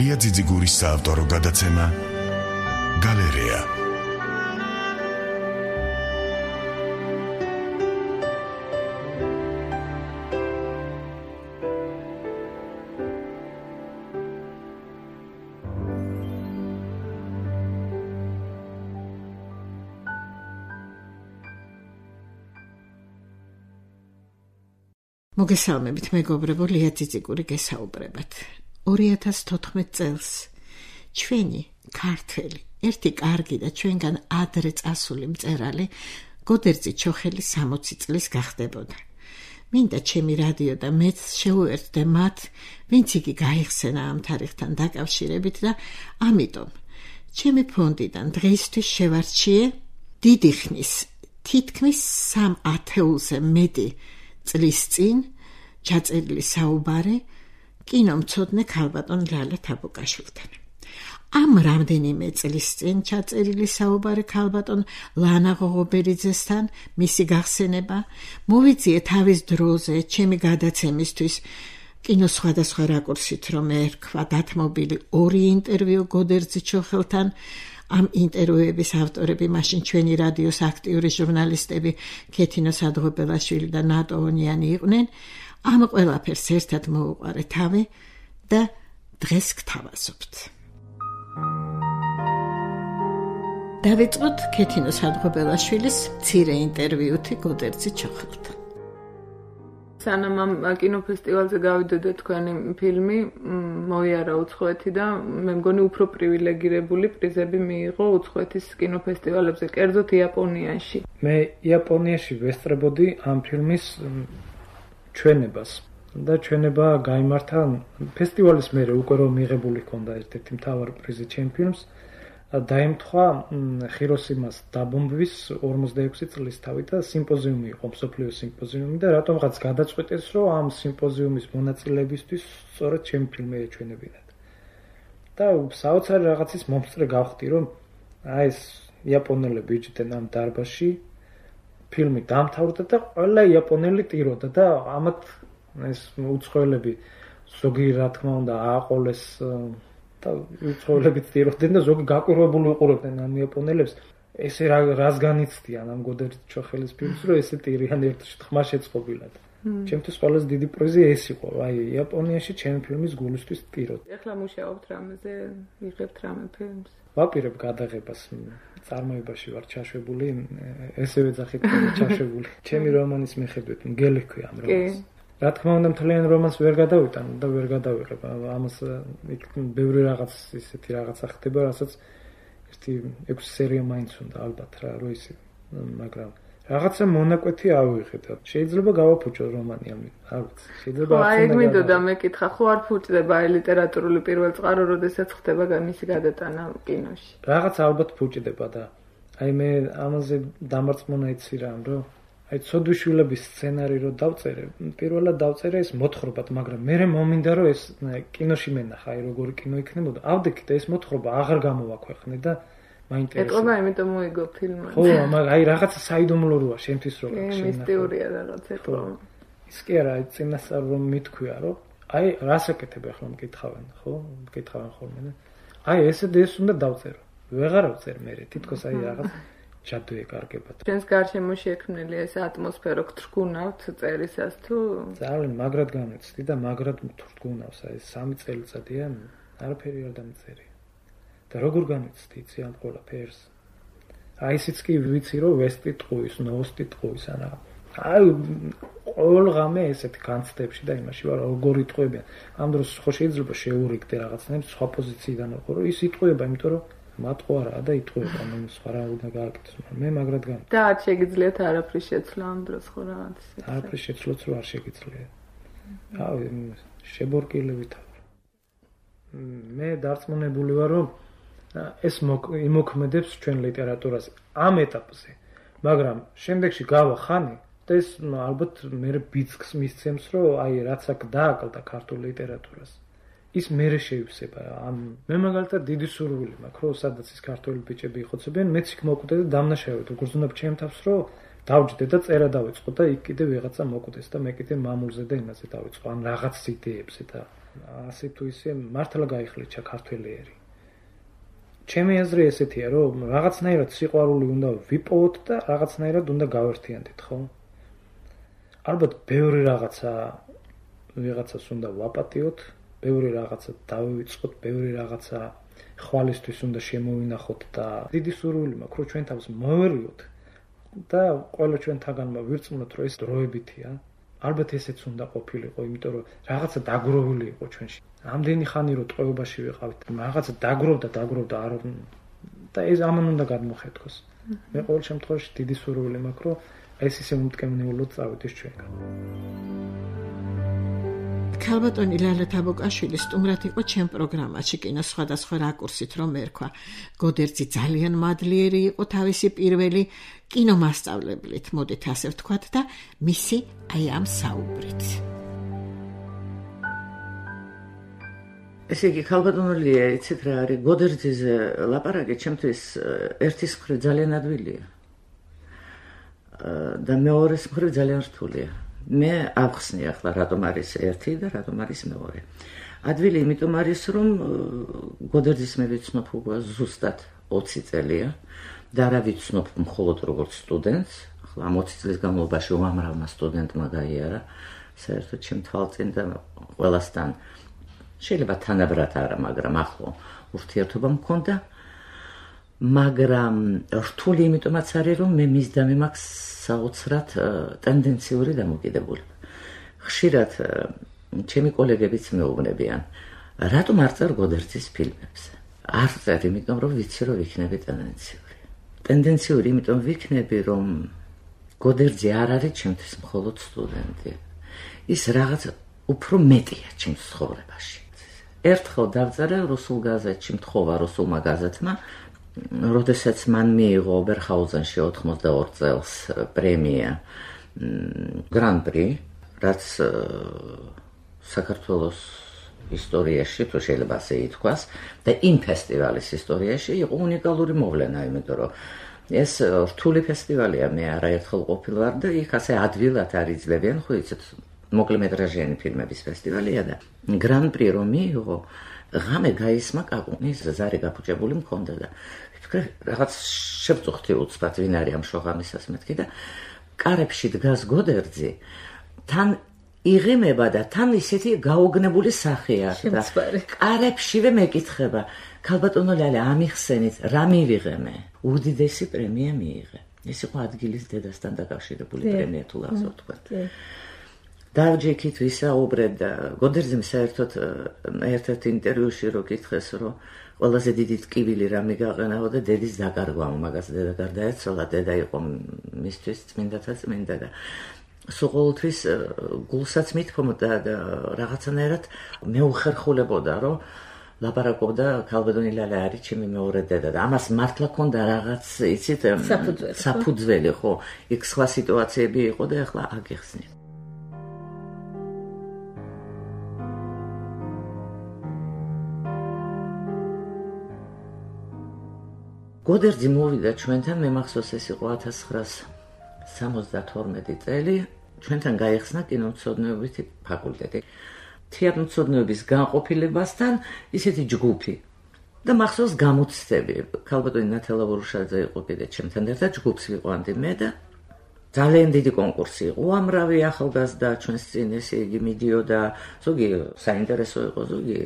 ლია ძიძიგურის საავტორო გადაცემა გალერეა. მოგესალმებით, მეგობრებო, ლია ძიძიგური გესაუბრებათ. 2014 წელს ჩვენი ქართველი, ერთი კარგი და ჩვენგან ადრე წასული მწერალი გოდერძი ჩოხელი 60 წლის გახდებოდა. მინდა ჩემი რადიო და მეც შევუერთდე მათ, ვინც იგი გაიხსენა ამ თარიღთან დაკავშირებით და ამიტომ ჩემი ფონდიდან დღეისთვის შევარჩიე დიდი ხნის, თითქმის 3 ათეულზე მეტი წლის წინ ჩაწერილი საუბარი კინომცოდნე ქალბატონ ლალა თაბუკაშვილთან. ამ რამდენიმე წლის წინ ჩაწერილი საუბარი ქალბატონ ლანა ღოღობერიძესთან, მისი გახსენება მოვიძიე თავის დროზე ჩემი გადაცემისთვის კინოს სხვადასხვა რაკურსით, რომ ერქვა დათმობილი 2 ინტერვიუ გოდერძი ჩოხელთან. ამ ინტერვიუების ავტორები მაშინ ჩვენი რადიოს აქტიური ჟურნალისტები ქეთინო სადღობელაშვილი და ნატო ონიანი იყვნენ. ამ ყველაფერს ერთად მოუყარე თავი და დღეს გთავაზობთ. დავიწყოთ ქეთინო სადღობელაშვილის მცირე ინტერვიუთი გოდერძი ჩოხელთან. სანამ ამ კინოფესტივალზე გავიდოდა თქვენი ფილმი, მოიარა უცხოეთი და მე მგონი უფრო პრივილეგირებული პრიზები მიიღო უცხოეთის კინოფესტივალებზე, კერძოდ იაპონიაში. მე იაპონიაში ვესწრებოდი ამ ფილმის ჩვენებას და ჩვენება გაიმართა ფესტივალის მერე უკვე რომ მიღებული ჰქონდა ერთ-ერთი მთავარი პრიზი ჩემ ფილმს. დაემთხვა ხიროსიმას დაბომბვის 46 წლისთავი და სიმპოზიუმი იყო, მსოფლიო სიმპოზიუმი და რატომღაც გადაწყვეტეს, რომ ამ სიმპოზიუმის მონაწილეებისთვის სწორედ ჩემი ფილმი ეჩვენებინათ. და საოცარი რაღაცის მომსწრე გავხდი, რომ ეს იაპონელები იჯდნენ ამ დარბაზში, ფილმი დამთავრდა და ყველა იაპონელი ტიროდა და ამათ ეს უცხოელები ზოგი რა თქმა უნდა ააყოლეს და უცხოელები ტიროდნენ და ზოგი გაკვირვებული უყურებდნენ ამ იაპონელებს. ესე რას განიცდიან ამ გოდერძი ჩოხელის ფილმს, რომ ესე ტირიან ერთ ხმა შეწყობილად. ჩემთვის ყველაზე დიდი პრიზი ეს იყო, აი იაპონიაში ჩემი ფილმის გულისთვის ტიროთ. ეხლა მუშაობთ რამეზე, იღებთ რამე ფილმს? ვაპირებ გადაღებას, წარმოებაში ვარ ჩაშვებული, ესევე ძახით ჩაშვებული. ჩემი რომანის მიხედვით, მგელი ჰქვია ამ რომანს. რა თქმა უნდა, მთლიან რომანს ვერ გადავიტან და ვერ გადავიღებ. ამას იქ ბევრი რაღაც ისეთი რაღაცა ხდება, რასაც ერთი 6 სერია მაინც უნდა ალბათ რა, რო ისე, მაგრამ რაღაცა მონაკვეთი ავიღეთ. შეიძლება გავაფუჭო რომანი ამით, არ ვიცი. შეიძლება არ უნდა. აი, მინდოდა მეკითხა, ხო არ ფუჭდება აი ლიტერატურული პირველ წყარო, როდესაც ხდება მისი გადატანა კინოში? რაღაც ალბათ ფუჭდება და აი მე ამაზე დამარწმუნა იცი რა, რომ აი ცოდვიშვილების სცენარი რო დავწერე, პირველად დავწერე ეს მოთხრობად, მაგრამ მე მომინდა რომ ეს კინოში მენახა, აი როგორი კინო იქნებოდა. ავდექით ეს მოთხრობა აღარ გამოვაქვეყნე და მაინტერესებს. ეტყობა, იმიტომ მოიგო ფილმი. ხო, მაგრამ აი რაღაცა საიდუმლოა შემთის რო გაქშენა. მისტიურია რაღაც ეტყობა. ის კი არა, აი წინასწარ რომ მithქვია, რომ აი რას აკეთებ ახლა მკითხავენ, ხო? მკითხავენ ხოლმე და აი ეს უნდა დავწერო. ვეღარ ავწერ მე, თითქოს აი რაღაც ჯადო ეკარგებათ. ჩვენს გარშემო შექმნილი ეს ატმოსფერო გთრგუნავთ წერისას თუ? ძალიან მაგრად გამეცდი და მაგრად გთრგუნავს, აი 3 წელიწადია არაფერი არ დამწერია. და როგორ გამეცდი იცი ამ ყველაფერს? აი ისიც კი ვიცი რომ ვესტი ტყუის, ნოვოსტი ტყუის ანა. აი ყოველ ღამე ესეთი განცდებში და იმაში ვარ როგორი ტყუებიან. ამ დროს ხო შეიძლება შეურიგდე რაღაცნაირად სხვა პოზიციიდან ვიყო, რომ ის იტყუება, იმიტომ რომ მატყო არა და იტყუება, მე სხვა რა უნდა გააკეთოს, მე მაგრად გამ. და არ შეგიძლიათ არაფრის შეცვლა ამ დროს ხო რაღაც ისეთი. არაფრის შეცვლაც რო არ შეგიძლია. აი შებორკილებით. მე დარწმუნებული ვარ, რომ ეს იმოქმედებს ჩვენ ლიტერატურას ამ ეტაპზე, მაგრამ შემდეგში გავა ხანი და ეს ალბათ მე ბიძგს მისცემს, რომ აი რაც აქ დააკლდა ქართულ ლიტერატურას. ის მერე შეივსება. მე მაგალითად დიდი სურვილი მაქვს, რომ სადაც ის ქართველი ბიჭები იხოცებიან, მეც იქ მოვკვდე და დამნაშავედ. როგორც უნდა ჩემ თავს, რომ დავჯდე და წერა დავიწყო და იქ კიდე ვიღაცა მოკვდეს და მე კიდე მამულზე და იმაზე დავიწყო. ან რაღაც იდეებზე და ასე თუ ისე მართლა გაიხლიჩა ქართველიერი. ჩემი აზრი ესეთია, რომ რაღაცნაირად სიყვარული უნდა ვიპოვოთ და რაღაცნაირად უნდა გავერთიანდეთ, ხო? ალბათ ბევრი ვიღაცას უნდა ვაპატიოთ, ბევრი რაღაცა დავივიწყოთ, ბევრი რაღაცა ხვალისთვის უნდა შემოვინახოთ და დიდი სურვილი მაქვს, რომ ჩვენ თავს მოვერიოთ და ყველა ჩვენთაგანმა ვირწმუნოთ, რომ ეს დროებითია. ალბათ ესეც უნდა ყოფილიყო, იმიტომ რომ რაღაცა დაგროვილი იყო ჩვენში. ამდენი ხანი რომ ტყვეობაში ვიყავით, რაღაცა დაგროვდა არ და ეს ამან უნდა გადმოხეთქოს. მე ყოველ შემთხვევაში დიდი სურვილი მაქვს, რომ ეს ისე უმტკივნეულოდ წავიდეს ჩვენგან. ქალბატონი ლალა თაბუკაშვილი სტუმრად იყო ჩემ პროგრამაში კინოს სხვადასხვა რაკურსით რომ ერქვა. გოდერძი ძალიან მადლიერი იყო თავისი პირველი კინომასწავლებლით, მოდით ასე ვთქვათ და მისი აი ამ საუბრით. ესე იგი ქალბატონოლია, იცით რა არის, გოდერძიზე ლაპარაკი ჩემთვის ერთის მხრივ ძალიან ადვილია. და მეორეს მხრივ ძალიან რთულია. მე ავხსნი ახლა რატომ არის ერთი და რატომ არის მეორე. ადვილი იმიტომ არის, რომ გოდერძის მე ვიცნობ უკვე ზუსტად 20 წელია და რა ვიცნობ მხოლოდ როგორც სტუდენტს. ახლა 20 წლის განმავლობაში უამრავმა სტუდენტმა გაიარა საერთოდ ჩემ თვალწინ და ყველასთან შეიძლება თანაბრად არა, მაგრამ ახლო ურთიერთობა მქონდა. მაგრამ რთული იმიტომაც არის, რომ მე მისდამი მაქვს საოცრად ტენდენციური დამოკიდებულება. ხშირად ჩემი კოლეგებიც მეუბნებიან, რატომ არ წერ გოდერძის ფილმებს? არ წერ, იმიტომ რომ ვიცი, რომ ვიქნები ტენდენციური. ტენდენციური, იმიტომ ვიქნები, რომ გოდერძი არ არის ჩემთვის მხოლოდ სტუდენტი. ის რაღაც უფრო მეტია ჩემს ცხოვრებაში. ერთხელ დავწერე რუსულ გაზეთში, მთხოვა რუსულმა გაზეთმა, როდესაც მან მიიღო ობერჰაუზენში 82 წელს პრემია გრან-პრი, რაც საქართველოს ისტორიაში, თუ შეიძლება ასე ითქვას, და იმ ფესტივალის ისტორიაში იყო უნიკალური მოვლენა, იმიტომ რომ ეს რთული ფესტივალია, მე არაერთხელ ყოფილ ვარ და იქ ასე ადვილად არ იძლევიან, ხო იცით, მოკლემეტრაჟიანი ფილმების ფესტივალია და გრან-პრი რომ მიიღო, ღამე გაისმა კაკუნის ზარი გაფუჭებული მქონდა და ვფიქრე რაღაც შევწუხდი უცბად ვინ არის ამ შოღამისას მეთქი და კარებში დგას გოდერძი თან იღიმება და თან ისეთი გაოგნებული სახე აქვს და კარებშივე მეკითხება ქალბატონო ლალა ამიხსენით რა მივიღე უდიდესი პრემია მიიღე ეს იყო ადგილის დედასთან დაკავშირებული პრემია თუ ასე ვთქვათ დავჯექით ვისაუბრეთ და გოდერძიმ საერთოდ ერთ-ერთ ინტერვიუში რო კითხეს რომ ყველაზე დიდი ტკივილი რა მიგაყენაო და დედის დაკარგვა მაგას დედა გარდაეცვალა დედა იყო მისთვის წმინდათა წმინდა და სულ ყოველთვის გულსაც მithomda და რაღაცანაირად მეუხერხულებოდა რომ ლაპარაკობდა ქალბატონი ლალა არის ჩემი მეორე დედა და ამას მართლა ქონდა რაღაც იცით საფუძველი ხო იქ სხვა სიტუაციები იყო და ახლა აგიხსნით გოდერძი მოვიდა ჩვენთან, მე მახსოვს ეს იყო 1972 წელი, ჩვენთან გაიხსნა კინომცოდნეობითი ფაკულტეტი. თეატრმცოდნეობის განყოფილებასთან ისეთი ჯგუფი. და მახსოვს გამოცდები. ქალბატონი ნათელა ვორუშაძე იყო კიდე ჩემთან ერთად ჯგუფს ვიყვანდი მე და ძალიან დიდი კონკურსი იყო. უამრავი ახალგაზრდა ჩვენს წინ ესე იგი მიდიოდა, ზოგი საინტერესო იყო, ზოგი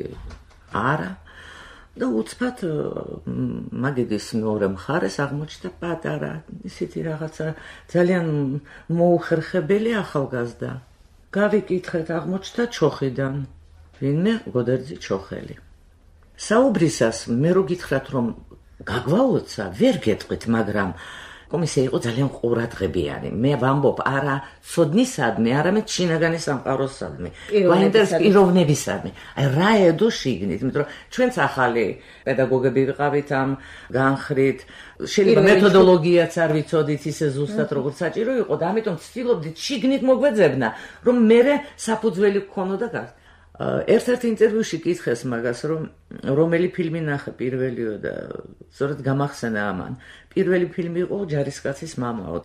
არა. და უცბად მაგიდის მეორე მხარეს აღმოჩნდა პატარა ისეთი რაღაცა ძალიან მოუხერხებელი ახალგაზრდა. გავიკითხეთ აღმოჩნდა ჩოხიდან. ვინმე გოდერძი ჩოხელი. საუბრისას მე რო გითხრათ რომ გაგვაუცა, ვერ გეტყვით, მაგრამ კომისია იყო ძალიან ყურადღებიანი. მე ვამბობ არა ცოდნისადმი, არამედ შინაგანი სამყაროსადმი, ვაინტერეს პიროვნებისადმი. აი რა ედო შიგნით, იმიტომ რომ ჩვენც ახალი პედაგოგები ვიყავით ამ განხრით, შეიძლება მეთოდოლოგიაც არ ვიცოდით ისე ზუსტად როგორც საჭირო იყო და ამიტომ ვცდილობდით შიგნით მოგვეძებნა, რომ მე საფუძველი გქონოდა გას. ერთ-ერთ ინტერვიუში კითხეს მაგას, რომ რომელი ფილმი ნახე პირველიო და სწორედ გამახსენა ამან. პირველი ფილმი იყო ჯარისკაცის მამაო.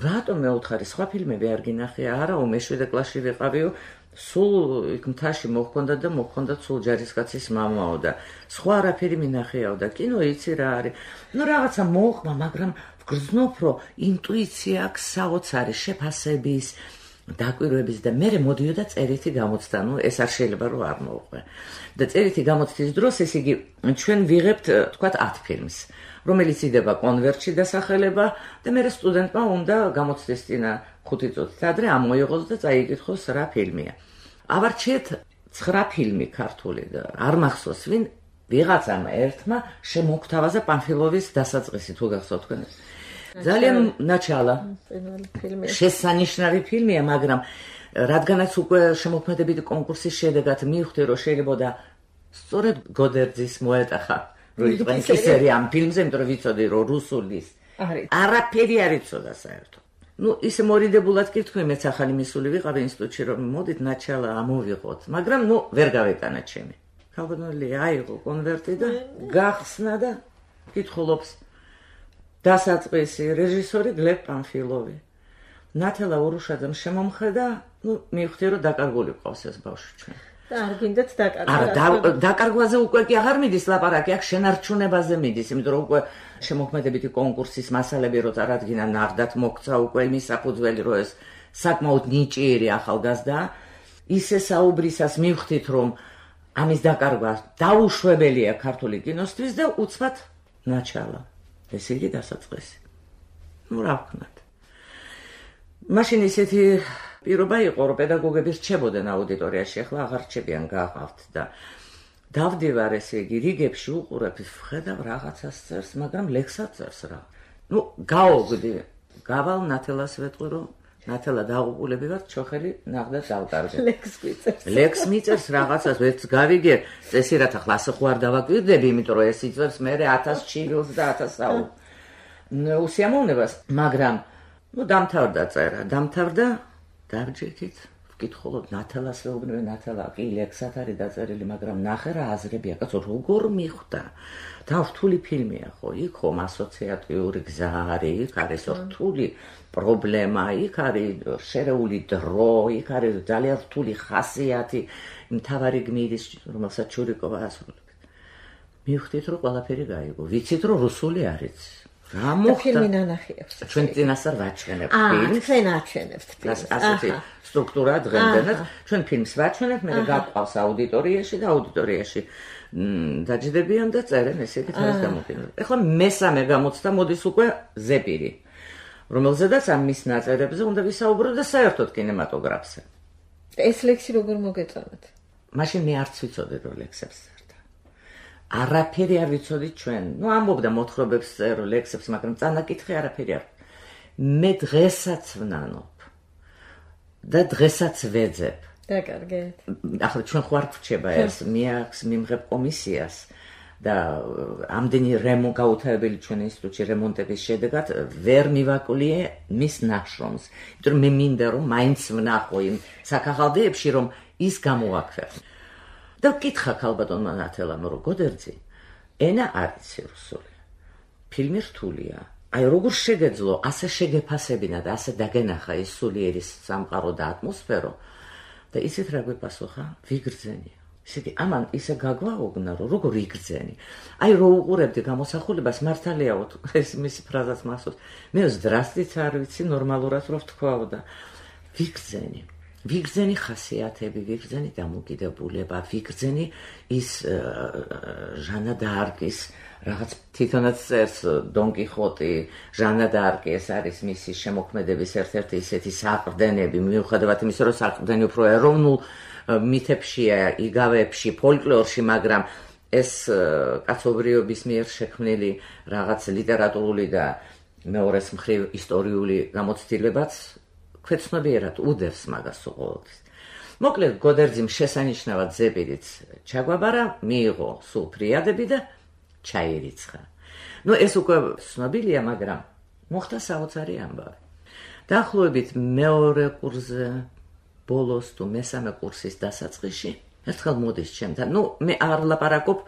რატომ მეუთხარი სხვა ფილმები არ გინახე? არაო, მე 7 კლასში ვიყავიო სულ იქ მთაში მოხონდა და მოხონდა სულ ჯარისკაცის მამაო და სხვა არაფერი მინახეაო და კინო იცი რა არის. ნუ რაღაცა მოხმა, მაგრამ ვგრძნობ, რომ ინტუიცია აქვს საოცარი შეფასების დაკვირვების და მე მოდიოდა წერითი გამოცდა, ნუ ეს არ შეიძლება რომ არ მოვყვე. და წერითი გამოცდის დროს ეს იგი ჩვენ ვიღებთ, თქვათ 10 ფილმს, რომელიც იდება კონვერტში დასახელება და მე სტუდენტმა უნდა გამოცდის წინა 5 წუთით ადრე ამოიღოს და წაიკითხოს რა ფილმია. ავარჩიეთ 9 ფილმი ქართული და არ მახსოვს ვინ ვიღაცამ ერთმა შემოგთავაზა პანფილოვის დასაწყისი თუ გახსოვთ თქვენ. ძალიან ნაჩალა შესანიშნავი ფილმია, მაგრამ რადგანაც უკვე შემოქმედებითი კონკურსის შედეგად მივხვდი, რომ შეიძლება სწორედ გოდერძის მოეტახა რომ იყენსერი ამ ფილმზე, იმიტომ რომ ვიცოდი რომ რუსულის არაფერი არ იცოდა საერთოდ. ნუ ისე მორიდებულად კითხვი მეც ახალი მისული ვიყავი ინსტიტუტში რომ მოდით ნაჩალა ამოვიღოთ, მაგრამ ნუ ვერ გავეტანა ჩემი. ქალბატონი აიღო კონვერტი და გახსნა და კითხულობს დასაწყისი რეჟისორი გლებ პანფილოვი. ნათელა ურუშაძემ შემომხედა, ნუ მივხვდი რომ დაკარგული ყავს ეს ბავშვი ჩვენ. და არ გინდათ დაკარგვა. არა, დაკარგვაზე უკვე კი აღარ მიდის ლაპარაკი, აქ შენარჩუნებაზე მიდის, იმიტომ რომ უკვე შემოქმედებითი კონკურსის მასალები რო წარადგინა, ნახდათ მოგცა უკვე იმის საფუძველი, რომ ეს საკმაოდ ნიჭიერი ახალგაზრდა, ისე საუბრისას მივხვდით, რომ ამის დაკარგვა დაუშვებელია ქართული კინოსთვის და უცბად ნაჩალა. ესე იგი დასაწყისი. ნუ რა ვქნათ. მაშინ ისეთი პირობა იყო, რომ პედაგოგები რჩებოდნენ აუდიტორიაში, ახლა აღარ რჩებიან, გაყავთ და დავდივარ ესე იგი რიგებში უყურებ, ვხედავ რაღაცას წერს, მაგრამ ლექსად წერს რა. ნუ გაოგდი, გავალ ნათელას ვეტყვი, რომ ნათელა დაღუპულები ვართ, ჩოხელი ნახდა დავკარგე. ლექს მიწერს რაღაცას, ვერც გავიგე, წესირად ახლა ასე ხო არ დავაკვირდები, იმიტომ რომ ეს იწერს მე 1000 ჩივილს და 1000 საუბ. უსიამოვნებას, მაგრამ ნუ დამთავრდა წერა, დამთავრდა დავჯექით, ვკითხულობ ნათელას ვეუბნები, ნათელა კი ლექსად არის დაწერილი, მაგრამ ნახე რა აზრებია, კაცო, როგორ მიხვდა? და რთული ფილმია ხო, იქ ხომ ასოციატიური გზა არის, იქ არის რთული პრობლემა, იქ არის შერეული დრო, იქ არის ძალიან რთული ხასიათი, მთავარი გმირის, რომელსაც ჩურიკოვა ასრულებს. მივხვდით, რომ ყველაფერი გაიგო. ვიცით, რომ რუსული არის. რა მოხდა? ფილმი ნანახი აქვს. ჩვენ წინასწარ ვაჩვენებთ ფილმს. თქვენ აჩვენებთ ფილმს. ასეთი სტრუქტურა დღემდე. ჩვენ ფილმს ვაჩვენებთ, მე გაყვავს აუდიტორიაში და აუდიტორიაში დაჯდებიან და წერენ ესე იგი თავის გამოფენას. ეხლა მესამე გამოცდა მოდის უკვე ზეპირი, რომელზედაც ამ მის ნაწერებზე უნდა ვისაუბროთ და საერთოდ კინემატოგრაფზე. ეს ლექსი როგორ მოგეწონათ? მაშინ მე არც ვიცოდი რომ ლექსებს წერდა. არაფერი არ ვიცოდით ჩვენ. ნუ ამბობდა მოთხრობებს წერო ლექსებს, მაგრამ წანაკითხი არაფერი არ. მე დღესაც ვნანობ და დღესაც ვეძებ. დაკარგეთ. ახლა ჩვენ ხო არ გვრჩება ეს, მიაქვს მიმღებ კომისიას და ამდენი გაუთავებელი ჩვენ ინსტიტუტში რემონტების შედეგად ვერ მივაკვლიე მის ნაშრომს. იმიტომ რომ მე მინდა რომ მაინც ვნახო იმ საქაღალდეებში რომ ის გამოაქვეყნო. და ვკითხა ქალბატონმა ნათელამ რომ გოდერძი ენა არის რუსული. ფილმი რთულია. აი როგორ შეგეძლო ასე შეგეფასებინა და ასე დაგენახა ის სულიერის სამყარო და ატმოსფერო და ისეთ რა გვეპასუხა ვიგრძენია. ისე ამან ისე გაგვაოგნა რომ როგორ იგრძენი. აი რო უყურებდი გამოსახულებას მართალია ეს მისი ფრაზაც მახსოვს. მე ზდრასტიც არ ვიცი ნორმალურად რო ვთქვაო და ვიგრძენი. ვიგრძენი ხასიათები, ვიგრძენი დამოკიდებულება, ვიგრძენი ის ჟანა დ'არკის რაღაც თვითონაც წერს დონ კიხოტი, ჟანა დ'არკი ეს არის მისი შემოქმედების ერთ-ერთი ისეთი საყრდენები, მიუხედავად იმისა, რომ საყრდენი უფრო ეროვნულ მითებშია, იგავებში, ფოლკლორში, მაგრამ ეს კაცობრიობის მიერ შექმნილი რაღაც ლიტერატურული და მეორეს მხრივ ისტორიული გამოცდილებაც ქვეცნობიერად უდევს მაგას ყოველთვის. მოკლედ გოდერძიმ შესანიშნავად ზეპირიც ჩაგვაბარა, მიიღო სულ ფრიადები და ჩაირიცხა. ნუ ეს უკვე ცნობილია, მაგრამ მოხდა საოცარი ამბავი. დაახლოებით მეორე კურსზე ბოლოს თუ მესამე კურსის დასაწყისში ერთხელ მოდის ჩემთან. ნუ მე არ ლაპარაკობ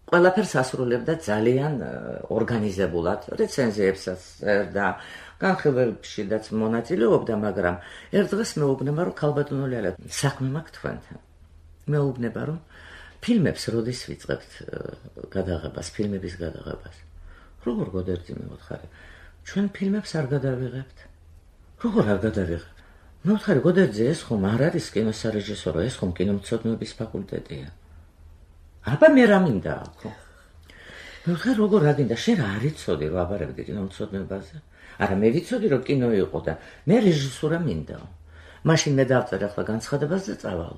ყველაფერს ასრულებდა ძალიან ორგანიზებულად, რეცენზიებსაც წერდა, განხილვებშიც მონაწილეობდა, მაგრამ ერთ დღეს მეუბნება, რომ ქალბატონო ლელა, საქმე მაქვს თქვენთან. მეუბნება, რომ ფილმებს როდის ვიწყებთ გადაღებას, ფილმების გადაღებას. როგორ გოდერძი მეუთხარი? ჩვენ ფილმებს არ გადავიღებთ. როგორ არ გადავიღებთ? მეუთხარი, გოდერძი, ეს ხომ არ არის კინოსარეჟისორო, ეს ხომ კინომცოდნეობის ფაკულტეტია. აბა მე რა მინდა აქ? მეუთხარი, როგორ რა გინდა? შენ რა არიცოდი რომ აბარებდი კინომცოდნეობაზე? არა, მე ვიცოდი რომ კინო იყო და მე რეჟისურა მინდა. მაშინ მე დავწერე ახლა განცხადებას და წავალ.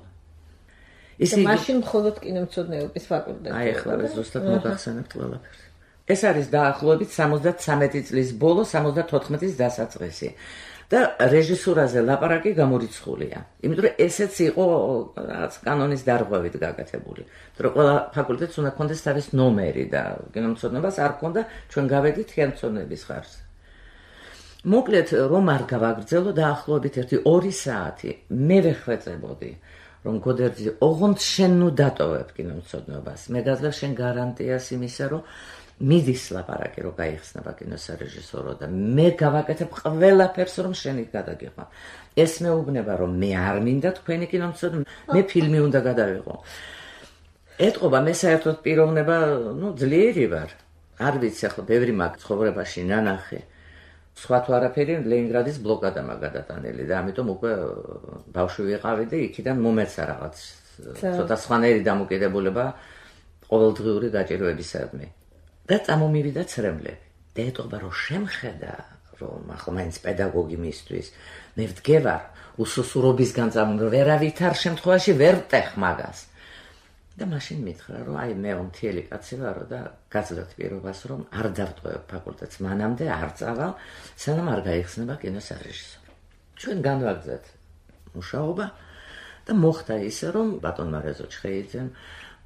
ისე მაშინ მხოლოდ კინომცოდნეობის ფაკულტეტი. აი ახლა ზუსტად მოგახსენებთ ყველაფერს. ეს არის დაახლოებით 73 წლის ბოლო, 74-ის დასაწყისი. და რეჟისურაზე ლაპარაკი გამორიცხულია. იმიტომ რომ ესეც იყო კანონის დარღვევით გაკეთებული. რომ ყველა ფაკულტეტს უნდა ქონდეს თავის ნომერი და კინომცოდნეობას არ ქონდა, ჩვენ გავედით ხელმძღვანელობის ხარჯზე. მოკლედ, რომ არ გავაგრძელო დაახლოებით 1-2 საათი, მე ვეხვეწებოდი, რომ გოდერძი, ოღონდ შენ ნუ დატოვებ კინომცოდნეობას. მე გაძლევ შენ გარანტიას იმისა, რომ მიდის ლაპარაკი რომ გაიხსნება კინოსარეჟისორო და მე გავაკეთებ ყველაფერს რომ შენი გადაგიყვა. ეს მეუბნება რომ მე არ მინდა თქვენი კინომცოდნე, მე ფილმი უნდა გადავიღო. ეტყობა მე საერთოდ პიროვნება, ძლიერი ვარ. არ ვიცი ახლა ბევრი მაგ ცხოვრებაში ნანახი. სხვა თუ არაფერი ლენინგრადის ბლოკადა მაგადატანელი და ამიტომ უკვე ბავშვი ვიყავი და იქიდან მომეცა რაღაც ცოტა სხვანაირი დამოკიდებულება ყოველდღიური გაჭირვებისადმი. და წამომივიდა ცრემლები. და ეტყობა რომ შემხედა რომ ახლა მაინც პედაგოგი მისთვის მე ვდგევარ უსუსურობისგან ვერავითარ შემთხვევაში ვერ ვტეხ მაგას. და მაშინ მითხრა რომ აი მე მთელი კაცი ვარო და გაძლევთ პირობას რომ არ დავტოვებ ფაკულტეტს მანამდე არ წავალ სანამ არ გაიხსნება კინოსარეჟისორო. ჩვენ განვაგრძეთ მუშაობა და მოხდა ისე რომ ბატონმა რეზო ჩხეიძემ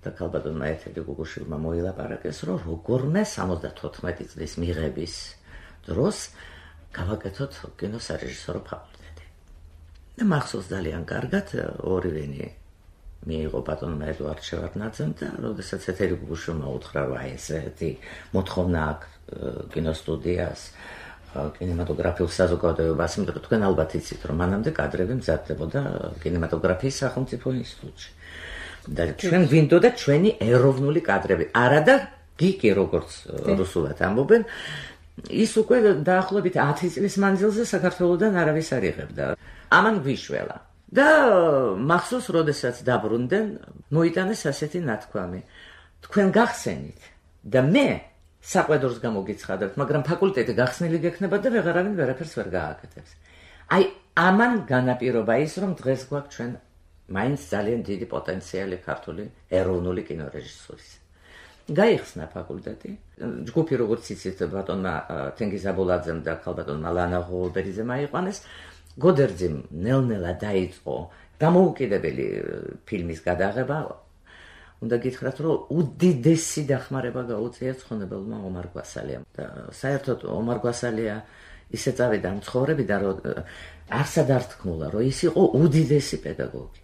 და ქალბატონმა ეთელი გუგუშვილმა მოილაპარაკეს რომ როგორმე 74 წლის მიღების დროს გავაკეთოთ კინოსარეჟისორო ფაკულტეტი. და მახსოვს ძალიან კარგად ორივენი მიიღო ბატონმა ედუარდ შევარდნაძემ და როდესაც ეთელი გუგუშვილმა უთხრა რომ აი ესეთი მოთხოვნა აქვს კინოსტუდიას კინემატოგრაფიულ საზოგადოებას, იმიტომ რომ თქვენ ალბათ იცით რომ მანამდე კადრები მზადდებოდა კინემატოგრაფიის სახელმწიფო ინსტიტუტში. და ჩვენ გვინდოდა ჩვენი ეროვნული კადრები. არა და გიკი როგორც რუსულად ამბობენ, ის უკვე დაახლოებით 10 წლის მანძილზე საქართველოსდან არავის არ იღებდა. ამან გვიშველა. და მახსოვს, როდესაც დაბრუნდნენ, მოიტანეს ასეთი ნათქვამი. თქვენ გახსენით და მე საყვედურს გამოგიცხადებთ, მაგრამ ფაკულტეტი გახსნილი გექნება და ვეღარავინ ვერაფერს ვერ გააკეთებს. აი, ამან განაპირობა ის, რომ დღეს გვაქვს ჩვენ მაინც ძალიან დიდი პოტენციალი ქართული ეროვნული კინორეჟისურის. გაიხსნა ფაკულტეტი. ჯგუფი როგორც იცით ბატონმა თენგიზ აბულაძემ და ქალბატონმა ლანა ღოლბერიძემ აიყვანეს. გოდერძიმ ნელ-ნელა დაიწყო დამოუკიდებელი ფილმის გადაღება. უნდა გითხრათ, რომ უდიდესი დახმარება გაუწია ცხონებელმა ომარ გვასალიამ. და საერთოდ ომარ გვასალია ისე წავიდა ამ ცხოვრებიდან, რომ არსად არ თქმულა, რომ ის იყო უდიდესი პედაგოგი.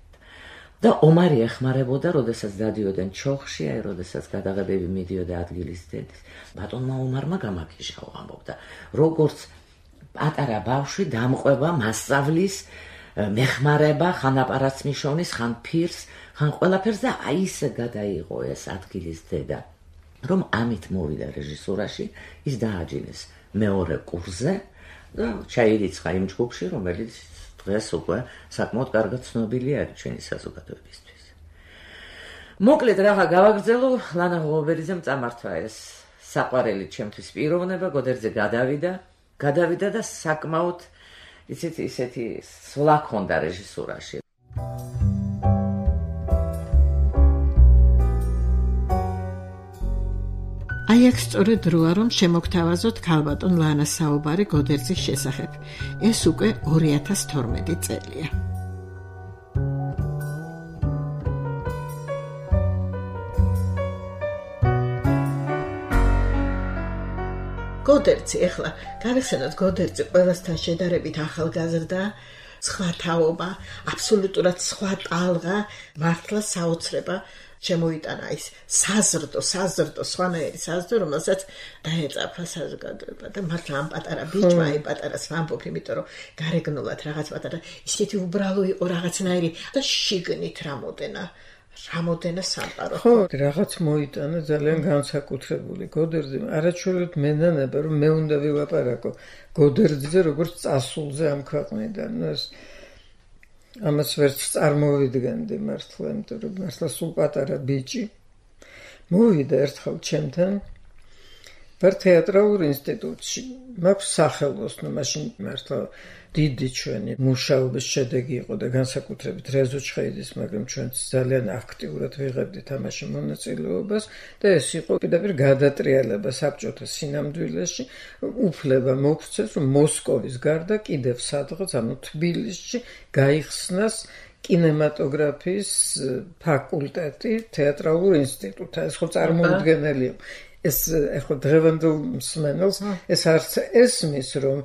და ომარი ეხმარებოდა, როდესაც დადიოდნენ ჩოხში, აი როდესაც გადაღებები მიდიოდა ადგილის დედის. ბატონმა ომარმა გამაქიშაო ამბობდა, როგორც პატარა ბავშვი დამყვება მასწავლის მეხმარება, ხან აპარატს მიშოვნის, ხან ფირს, ხან ყველაფერს და აი ისე გადაიღო ეს ადგილის დედა, რომ ამით მოვიდა რეჟისურაში, ის დააჯინეს მეორე კურსზე და ჩაირიცხა იმ ჯგუფში, რომელიც დღეს უკვე საკმაოდ კარგად ცნობილი არის ჩვენი საზოგადოებისთვის. მოკლედ რაღა გავაგრძელო, ლანა ღოლბერიძემ წამართვა ეს საყვარელი ჩემთვის პიროვნება, გოდერძე გადავიდა და საკმაოდ ისეთი სვლა ჰქონდა რეჟისურაში. აი აქ სწორედ როა რომ შემოგთავაზოთ ქალბატონ ლანას საუბარი გოდერძის შესახებ. ეს უკვე 2012 წელია. გოდერძი, ეხლა გავიხსენოთ, გოდერძი ყველასთან შედარებით ახალგაზრდა, სხვა თაობა, აბსოლუტურად სხვა ტალღა, მართლა საოცრება შემოიტანა ის საზრდო, სხვანაირი საზრდო, რომელსაც დაეწაფა საზოგადოება და მართლა ამ პატარა ბიჭმა, აი პატარას ვამბობ, იმიტომ რომ გარეგნულად რაღაც პატარა ისეთი უბრალო იყო რაღაცნაირი და შიგნით რამოდენა სამყარო. ხო, რაღაც მოიტანა ძალიან განსაკუთრებული გოდერძი. არაჩვეულოდ მენანება რომ მე უნდა ვილაპარაკო გოდერძზე როგორც წასულზე ამ ქვეყნიდან. ამას ვერც წარმოვიდგენდი მართლა, იმიტომ რომ მართლა სულ პატარა ბიჭი მოვიდა ერთხელ ჩემთან ვარ თეატრალურ ინსტიტუტში. მაქვს სახელოსნო, მაშინ მართლა დიდი ჩვენი მუშაობის შედეგი იყო და განსაკუთრებით რეზო ჩხეიძის, მაგრამ ჩვენც ძალიან აქტიურად ვიღებდით ამაში მონაწილეობას და ეს იყო პირდაპირ გადატრიალება საბჭოთა სინამდვილეში, უფლება მოგვცეს, რომ მოსკოვის გარდა კიდევ სადღაც, ანუ თბილისში გაიხსნას კინემატოგრაფიის ფაკულტეტი თეატრალურ ინსტიტუტთან. ეს ხო წარმოუდგენელი იყო. ეს ახლა დღევანდელ მსმენელს ეს არც ესმის, რომ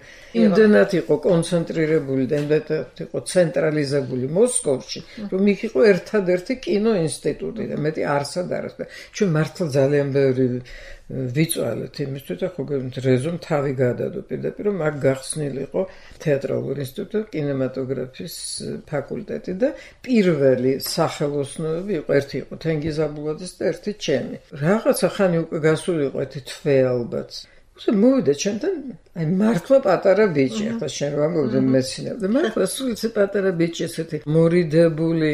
იმდენად იყო კონცენტრირებული და იმდენად იყო ცენტრალიზებული მოსკოვში, რომ იქ იყო ერთადერთი კინოინსტიტუტი და მეტი არსად არის. ჩვენ მართლა ძალიან ბევრი ვიწვალეთ იმისთვის და ხო რეზომ თავი გადადო პირდაპირ, რომ აქ გახსნილიყო თეატრალურ ინსტიტუტი, კინემატოგრაფიის ფაკულტეტი და პირველი სახელოსნოები იყო, ერთი იყო თენგიზ აბულაძის და ერთი ჩემი. რაღაცა ხანი უკვე გასულიყო ერთი თვე ალბათ. მოვიდა ჩემთან, აი მართლა პატარა ბიჭი, ახლა შენ რა მოვიდა მეცინებ და მართლა სულ ეს პატარა ბიჭი ესეთი მორიდებული,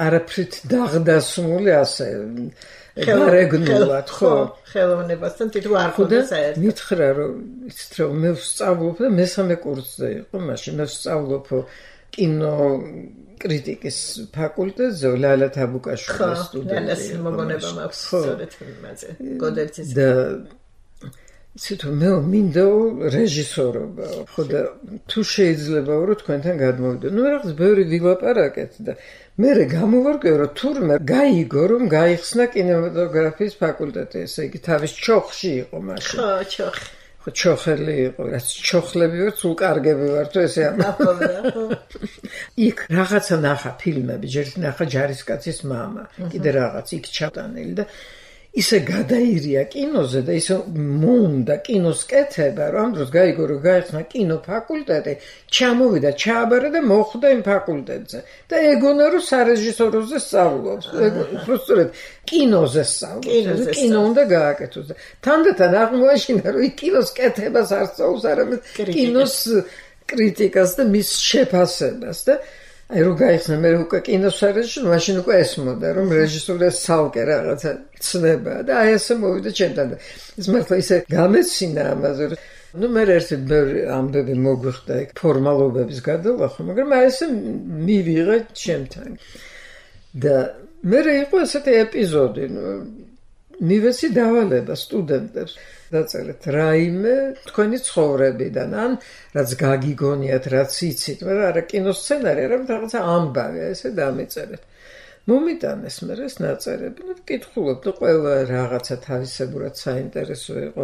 არაფრით დაღდასმული ასე გარეგნულად, ხო, ხელოვნებასთან თვითონ არ ხოდა საერთოდ. მითხრა რომ იცით რომ მე ვსწავლობ და მესამე კურსზე იყო მაშინ, მე ვსწავლობ კინო კრიტიკის ფაკულტეტზე, ლალა თაბუკაშვილის სტუდენტი. ხო, ეს მოგონება მაქვს სწორედ იმაზე. გოდერძის და იცით რომ მე მინდა რეჟისორობა. ხო და თუ შეიძლება რომ თქვენთან გადმოვიდო. რაღაც ბევრი ვილაპარაკეთ და მე გამოვარკვევ რომ თურმე გაიგო რომ გაიხსნა კინემატოგრაფიის ფაკულტეტი, ესე იგი თავის ჩოხში იყო მაშინ. ხო, ჩოხი. ხო, ჩოხელი იყო, რაც ჩოხლები ვარ, სულ კარგები ვარ თუ ესე ამბობდა, ხო. იქ რაღაცა ნახა ფილმები, ჯერ ნახა ჯარისკაცის მამა, კიდე რაღაც იქ ჩატანილი და ისე გადაირია კინოზე და ისე მომდა კინოს კეთება, რომ ამ დროს გაიგო რომ გაიხსნა კინო ფაკულტეტი, ჩამოვიდა, ჩააბარა და მოხვდა იმ ფაკულტეტზე და ეგონა რომ სარეჟისოროზე სწავლობს. უბრალოდ კინოზე სწავლობს, კინო უნდა გააკეთოს და თანდათან აღმოაჩინა რომ კინოს კეთებას არ სწავლობს, არამედ კინოს კრიტიკას და მის შეფასებას და აი რო გაიხსნა მე უკვე კინოს სარეჟისორო, მაშინ უკვე ესმოდა რომ რეჟისორია ცალკე რაღაცა ცნება და აი ესე მოვიდა ჩემთან და ეს მართლა ისე გამეცინა ამაზე რომ მე ერთი ამბები მოგვიხდა იქ ფორმალობების გადალახვა, მაგრამ აი ესე მივიღე ჩემთან და მე იყო ესეთი ეპიზოდი, მივეცი დავალება სტუდენტებს დაწერეთ რაიმე თქვენი ცხოვრებიდან, ან რაც გაგიგონიათ, რაც იცით, მაგრამ არა კინოსცენარი, არამედ რაღაცა ამბავი, ესე დამეწერეთ. მომიტანეს მე ეს ნაწერები, და ვკითხულობ და ყველა რაღაცა თავისებურად საინტერესო იყო.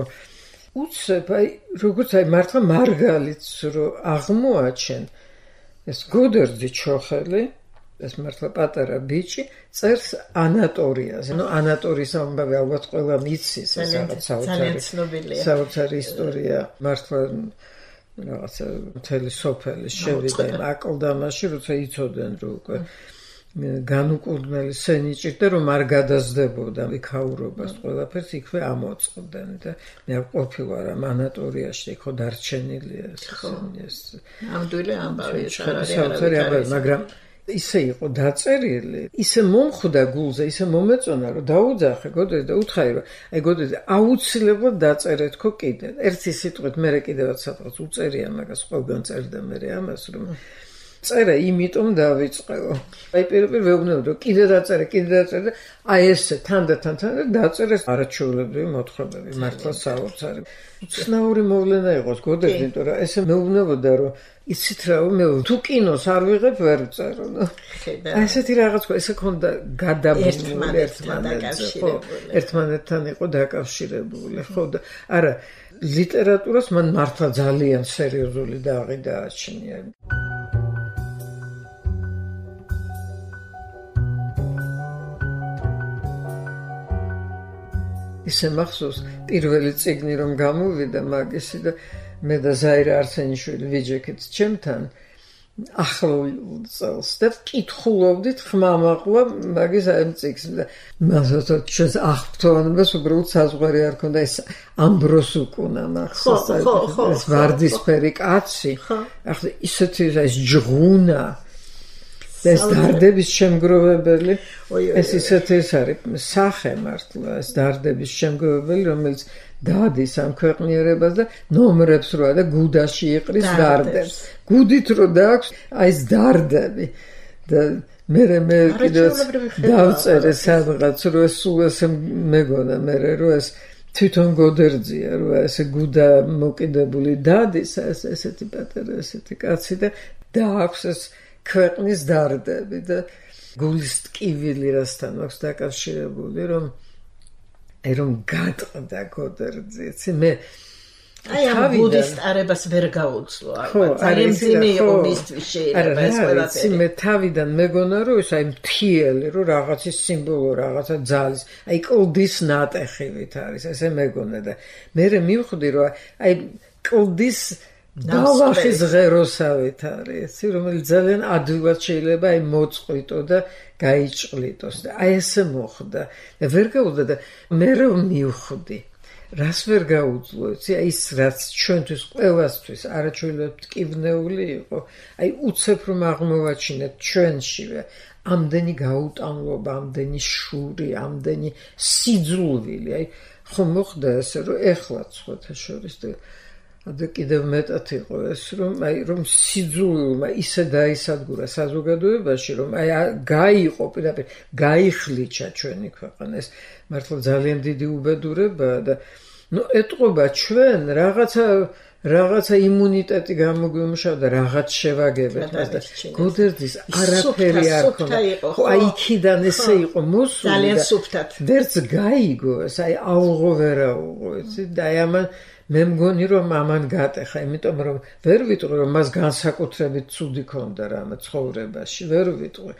უცებ, აი, როგორც აი მართლა მარგალიტს რო აღმოაჩენ, ეს გოდერძი ჩოხელი, ეს მართლა პატარა ბიჭი წერს ანატორიაზე. ნუ ანატორიის ამბავი ალბათ ყველა მიცის, ეს რაღაც საოცარი ისტორია. მართლა რაღაცა მთელი სოფელი შევიდა იმ აკლდამაში, როცა იცოდნენ რომ უკვე განუკურნელი სენი ჭირდა, რომ არ გადაზდებოდა იქაურობას ყველაფერს იქვე ამოწყდნენ და მე ყოფილვარ ამ ანატორიაში, იქ დარჩენილია ეს ამდვილი ამბავი, საოცარი ამბავი, მაგრამ ისე იყო დაწერილი, ისე მომხვდა გულზე, ისე მომეწონა, რომ დაუძახე გოდერძი და უთხრა, რომ აი გოდერძი აუცილებლად დაწერეთქო კიდე. ერთი სიტყვით მე კიდევაც სადღაც უწერია მაგას, ყველგან წერდა მე ამას, რომ წერა იმიტომ დავიწყეო. აი პირველ ვეუბნებოდი რომ კიდე დაწერე და აი ესე თანდათან დაწერეს არაჩვეულებრივი მოთხრობები მართლა საოცარი. უცნაური მოვლენა იყოს გოდები, იმიტომ რომ ესე მეუბნებოდა რომ იცით რა მე თუ კინოს არ ვიღებ ვერ ვწერო. აი ესეთი რაღაც ესე ქონდა გადაბმული ერთმანეთთან იყო დაკავშირებული, ხო და არა ლიტერატურას მან მართლა ძალიან სერიოზული დაღი დააჩნია. ისე მახსოვს პირველი წიგნი რომ გამოვიდა მაგისი და მე და ზაირა არსენიშვილი ვიჯექით ჩემთან ახლო წელს და ვკითხულობდით ხმამაღლა მაგის ამ წიგნს და მასოთო ჩვენს აღფრთოვანებას უბრალოდ საზღვარი არ ქონდა ეს ამბროს უკუნა მახსოვს ეს ვარდისფერი კაცი ახლა ისეთი ეს ჯღუნა ეს დარდების შემგროვებელი ეს ისეთი ეს არის სახე მართლა ეს დარდების შემგროვებელი რომელიც დადის ამ ქვეყნიერებას და ნომრებს როა და გუდაში იყრის დარდებს გუდით რო დააქვს აი ეს დარდები და მე კიდევ დავწერე სადღაც რომ ეს სულ ესე მეგონა მე რომ ეს თვითონ გოდერძია რომ ესე გუდა მოკიდებული დადის ესეთი პატარა ესეთი კაცი და დააქვს ეს ქვეყნის დარდები და გულის ტკივილი რასთან აქვს დაკავშირებული რომ გატყდა გოდერძი მე აი ამ გუდის ტარებას ვერ გაუძლო ძალიან ძიმე იყო მისთვის შეიძლება ეს ყველაფერი მე თავიდან მეგონა რომ ეს აი მთიელი რომ რაღაცის სიმბოლო რაღაცა ძალის აი კლდის ნატეხივით არის ესე მეგონა და მე მივხვდი რომ აი კლდის დავახის ღეროსავით არის, რომელიც ძალიან ადვილად შეიძლება აი მოწყვიტო და გაიჭყლიტოს და აი ესე მოხდა. და ვერ გაუძლო და მე რომ მივხვდი, რას ვერ გაუძლო, აი ის რაც ჩვენთვის ყველასთვის არაჩვეულებრივ ტკივნეული იყო, აი უცებ რომ აღმოვაჩინეთ ჩვენშივე ამდენი გაუტანლობა, ამდენი შური, ამდენი სიძულვილი, აი ხომ მოხდა ესე რომ ეხლაც ხოთა შორის და და კიდევ მეტად იყო ეს რომ სიძულვილმა ისე დაისადგურა საზოგადოებაში რომ აი გაიყო პირდაპირ გაიხლიჩა ჩვენი ქვეყანა ეს მართლა ძალიან დიდი უბედურებაა და ეტყობა ჩვენ რაღაცა იმუნიტეტი გამოგვიმუშავა და რაღაც შევაგებეთ მას და გოდერძის არაფერი არ ქონდა ხო აი იქიდან ესე იყო მოსული ძალიან სუფთად ვერც გაიგო ეს აი ალღო ვერაუღო იცი და აი ამან მე მგონი რომ ამან გატეხა, იმიტომ რომ ვერ ვიტყვი რომ მას განსაკუთრებით ცუდი ქონდა რამე ცხოვრებაში, ვერ ვიტყვი.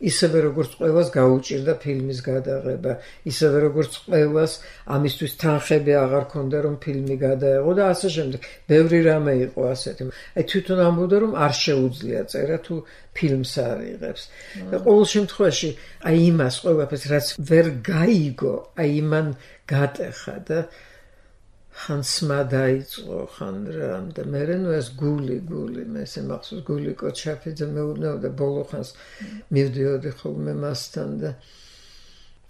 ისევე როგორც ყველას გაუჭირდა ფილმის გადაღება, ისევე როგორც ყველას ამისთვის თანხები აღარ ქონდა რომ ფილმი გადაეღო და ასე შემდეგ. ბევრი რამე იყო ასეთი. აი თვითონ ამბობდა რომ არ შეუძლია წერა თუ ფილმს არ იღებს. და ყოველ შემთხვევაში აი იმას ყველაფერს რაც ვერ გაიგო, აი იმან გატეხა და ხან სმა დაიწყო ხან რამ და მე ნუ ეს გული მე ესე მახსოვს გული კოჩაფიძე მეუბნებოდა ბოლო ხანს მივდიოდი ხოლმე მასთან და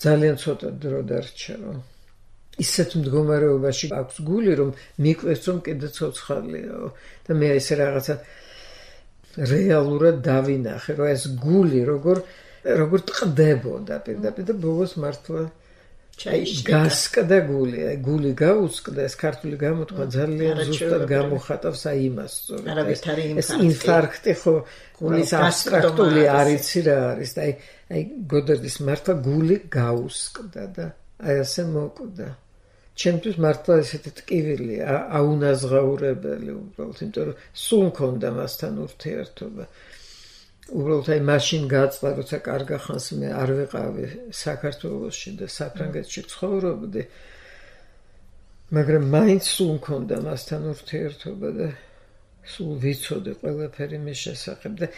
ძალიან ცოტა დრო დარჩა რომ ისეთ მდგომარეობაში აქვს გული რომ მიკვეს რომ კიდე ცოცხალიაო და მე ესე რაღაცა რეალურად დავინახე რომ ეს გული როგორ ტყდებოდა პირდაპირ და ბოლოს მართლა გასკდა გული გაუსკდა ეს ქართული გამოთქვა ძალიან ზუსტად გამოხატავს აი იმას სწორედ ეს ინფარქტი ხო გულის აბსტრაქტული არიცი რა არის და აი გოდერძის მართლა გული გაუსკდა და აი ასე მოკვდა ჩემთვის მართლა ესეთი ტკივილი აუნაზღაურებელი უბრალოდ იმიტომ რომ სულ მქონდა მასთან ურთიერთობა უბრალოდ აი მაშინ გაწყდა როცა კარგა ხანს მე არ ვიყავი საქართველოში და საფრანგეთში ცხოვრობდი მაგრამ მაინც სულ მქონდა მასთან ურთიერთობა და სულ ვიცოდი ყველაფერი მის შესახებ და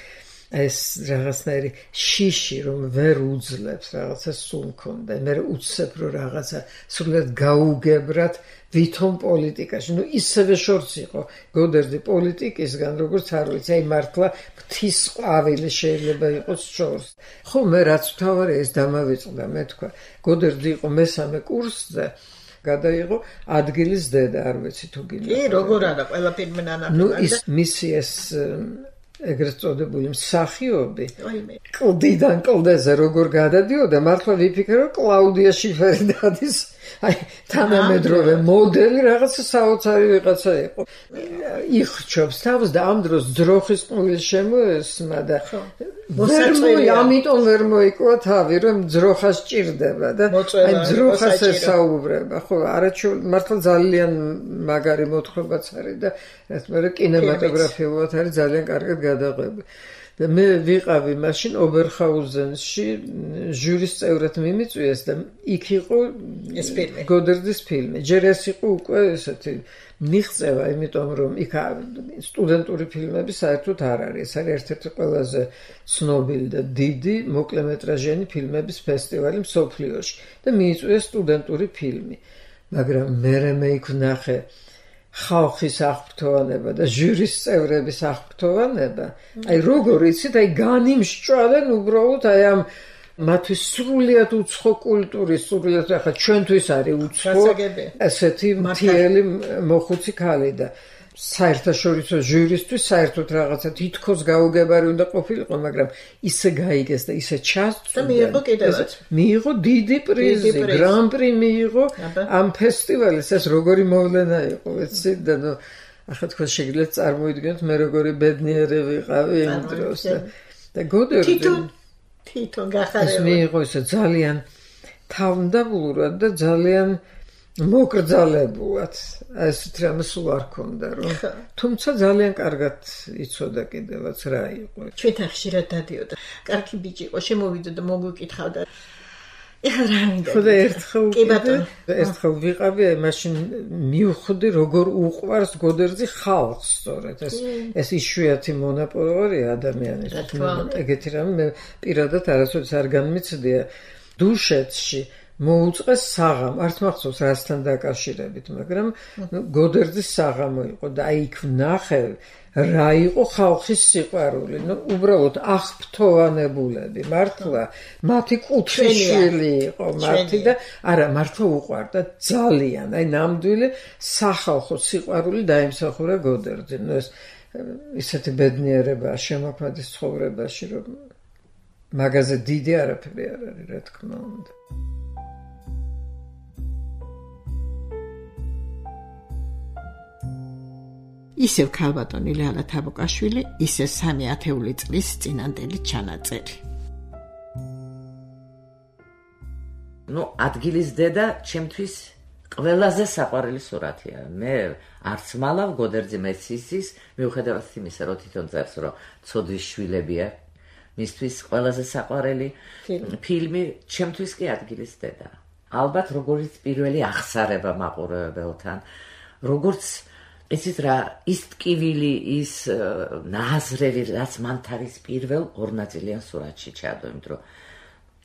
ეს რაღაცნაირი შიში რომ ვერ უძლებს რაღაცა სულ მქონდა მე უცებ რომ რაღაცა სულად გაუგებრად ვითომ პოლიტიკაში ნუ ისევე შორს იყო გოდერძი პოლიტიკისგან როგორც არ ვიცი აი მართლა მთის ყვავილი შეიძლება იყოს შორს ხო მე რაც თავარი ეს დამავიწყდა მე თქვა გოდერძი იყო მესამე კურსზე გადაიღო ადგილის დედა არ ვიცი თუ გინდა კი როგორ არა ყველაფერი მენანა ნუ ის მისი ეს ეგრეთ წოდებული მსახიობი კლდიდან კლდეზე როგორ გადადიოდა, მართლა ვიფიქრე, რომ კლაუდია შიფერი დადის, აი თანამედროვე მოდელი რაღაცა საოცარი ვიღაცა იყო. იხჩობს თავს და ამ დროს ძროხის ყმული შემოესმა და ამიტომ ვერ მოიკვა თავი, რომ ძროხას ჭირდება და აი ძროხას ესაუბრება. ხო, არაჩვეულებრივ მართლა ძალიან მაგარი მოთხრობაც არის და მე კინემატოგრაფიულად არის ძალიან კარგად გადაღებული. და მე ვიყავი მაშინ ობერჰაუზენში ჟურის წევრად მიმიწვიეს და იქ იყო ეს ფილმი, გოდერძის ფილმი. ჯერ ეს იყო უკვე ესეთი მიღწევა, იმიტომ რომ იქ სტუდენტური ფილმები საერთოდ არ არის. ეს არის ერთ-ერთი ყველაზე ცნობილი და დიდი მოკლემეტრაჟიანი ფილმების ფესტივალი მსოფლიოში და მიიწვიეს სტუდენტური ფილმი. მაგრამ მე იქ ვნახე ხალხის აღფრთოვანება და ჟურის წევრების აღფრთოვანება. აი როგორ იცით, აი განიმსჭვალენ უბრალოდ აი ამ მათთვის სრულიად უცხო კულტურის, სრულიად ახლა ჩვენთვის არის უცხო ესეთი მთიელი მოხუცი ქალი და საერთაშორისო ჟურისთვის საერთოდ რაღაცა თითქოს გაუგებარი უნდა ყოფილიყო, მაგრამ ისე გაიგეს და ისე ჩასწვდა და მიიღო კიდევაც. მიიღო დიდი პრიზი, გრან-პრი მიიღო ამ ფესტივალის. ეს როგორი მოვლენა იყო, ვიცით და ნუ ახლა თქვენ შეგიძლიათ წარმოიდგინოთ მე როგორი ბედნიერი ვიყავი იმ დროს და გოდერძი თვითონ გახარებულ. ეს მიიღო ისე ძალიან თავმდაბლურად და ძალიან მოკრძალებულად. ესეთ რამე სულ არ ქონდა რომ თუმცა ძალიან კარგად იცოდა კიდევაც რა იყო. ჩვენთან ხშირად დადიოდა. კარგი ბიჭი იყო, შემოვიდა და მოგვიკითხავდა. ეხლა რა მინდა? ხოდა ერთხელ ვიყავი, მაშინ მივხვდი როგორ უყვარს გოდერძი ხალხს სწორედ. ეს იშვიათი მონაპოვარია ადამიანის. ეგეთი რამე მე პირადად არასოდეს არ განმიცდია. დუშეთში მოუწყეს საღამ, არც მახსოვს რასთან დაკავშირებით, მაგრამ გოდერძის საღამო იყო და აი იქ ვნახე რა იყო ხალხის სიყვარული. ნუ უბრალოდ აღფრთოვანებულები, მართლა მათი კუთხეშვილი იყო მათი და არა მართლა უყვარდა ძალიან. აი ნამდვილი სახალხო სიყვარული დაიმსახურა გოდერძი. ნუ ეს ისეთი ბედნიერებაა შემოქმედის ცხოვრებაში, რომ მაგაზე დიდი არაფერი არ არის, რა თქმა უნდა. ისევ ქალბატონი ლალა თაბუკაშვილი, ისე 3 ათეული წლის წინანდელი ჩანაწერი. ნუ ადგილის დედა ჩემთვის ყველაზე საყვარელი სურათია. მე არც მალავ გოდერძი მეცისის, მიუხედავად იმისა, რომ თვითონ წერს, რომ ცოდვის შვილებია, მისთვის ყველაზე საყვარელი ფილმი ჩემთვის კი ადგილის დედა. ალბათ როგორც პირველი აღსარება მაყურებელთან, როგორც ესეც რა ის ტკივილი, ის ნაზრევი, რაც მან თავის პირველ ორნაწილიან სურათში ჩადო, იმიტომ რომ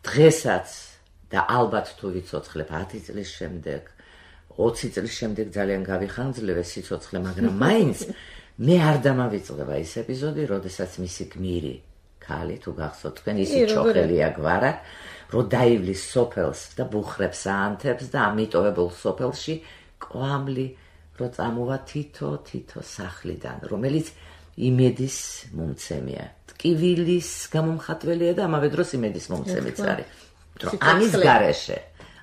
დღესაც და ალბათ თუ ვიცოცხლებ 10 წლის შემდეგ, 20 წლის შემდეგ ძალიან გავიხანძლებ ეს სიცოცხლე, მაგრამ მაინც მე არ დამავიწყდება ის ეპიზოდი, როდესაც მისი გმირი ქალი თუ გახსოვთ თქვენ ისი ჩოხელია გვარა, რომ დაივლის სოფელს და ბუხრებს აანთებს და ამიტოვებულ სოფელში კვამლი რო წამოვა თითო სახლიდან, რომელიც იმედის მომცემია. ტკივილის გამომხატველია და ამავე დროს იმედის მომცემიც არის.